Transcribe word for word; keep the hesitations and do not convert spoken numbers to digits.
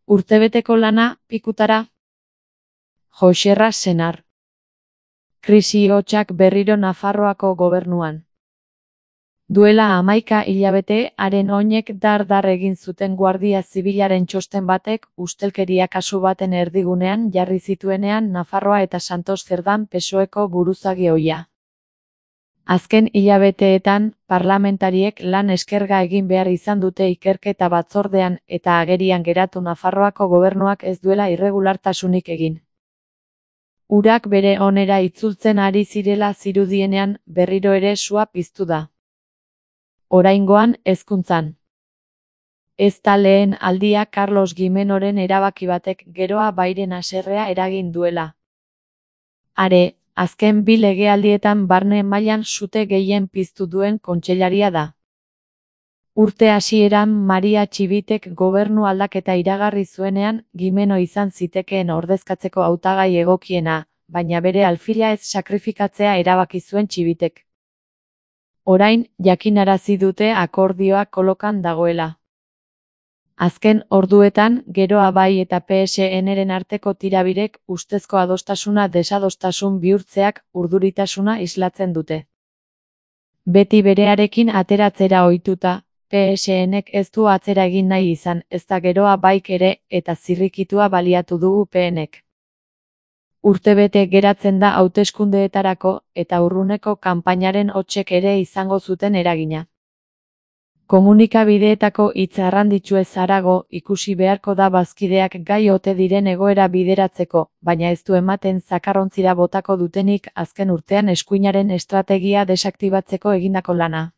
Urtebeteko lana, pikutara. Joxerra Senar. Krisi hotsak berriro Nafarroako gobernuan. Duela hamaika hilabete, haren oinek dar-dar egin zuten Guardia Zibilaren txosten batek ustelkeria kasu baten erdigunean jarri zituenean Nafarroa eta Santos Zerdan P S O Eko buruzagi ohia. Azken hilabeteetan, parlamentariek lan eskerga egin behar izan dute ikerketa batzordean eta agerian geratu Nafarroako gobernuak ez duela irregulartasunik egin. Urak bere onera itzultzen ari zirela zirudienean, berriro ere sua piztu da. Oraingoan, hezkuntzan. Ez da lehen aldia Carlos Gimenoren erabaki batek geroa bairen haserrea eragin duela. Are, azken bi legealdietan barne mailan sute gehien piztu duen kontseilaria da. Urte hasieran Maria Txibitek gobernu aldaketa iragarri zuenean, Gimeno izan zitekeen ordezkatzeko hautagai egokiena, baina bere alfila ez sakrifikatzea erabaki zuen Txibitek. Orain, jakinarazi dute akordioa kolokan dagoela. Azken orduetan, geroa bai eta P S N-ren arteko tirabirek ustezko adostasuna desadostasun bihurtzeak urduritasuna islatzen dute. Beti berearekin ateratzera ohituta, P S N-ek ez du atzera egin nahi izan, ez da geroa baik ere, eta zirrikitua baliatu dugu P N-ek. Urtebete geratzen da hauteskundeetarako, eta urruneko kanpainaren hotsek ere izango zuten eragina. Komunikabideetako hitz arranditsuez harago, ikusi beharko da bazkideak gai ote diren egoera bideratzeko, baina ez du ematen zakarrontzira botako dutenik azken urtean eskuinaren estrategia desaktibatzeko egindako lana.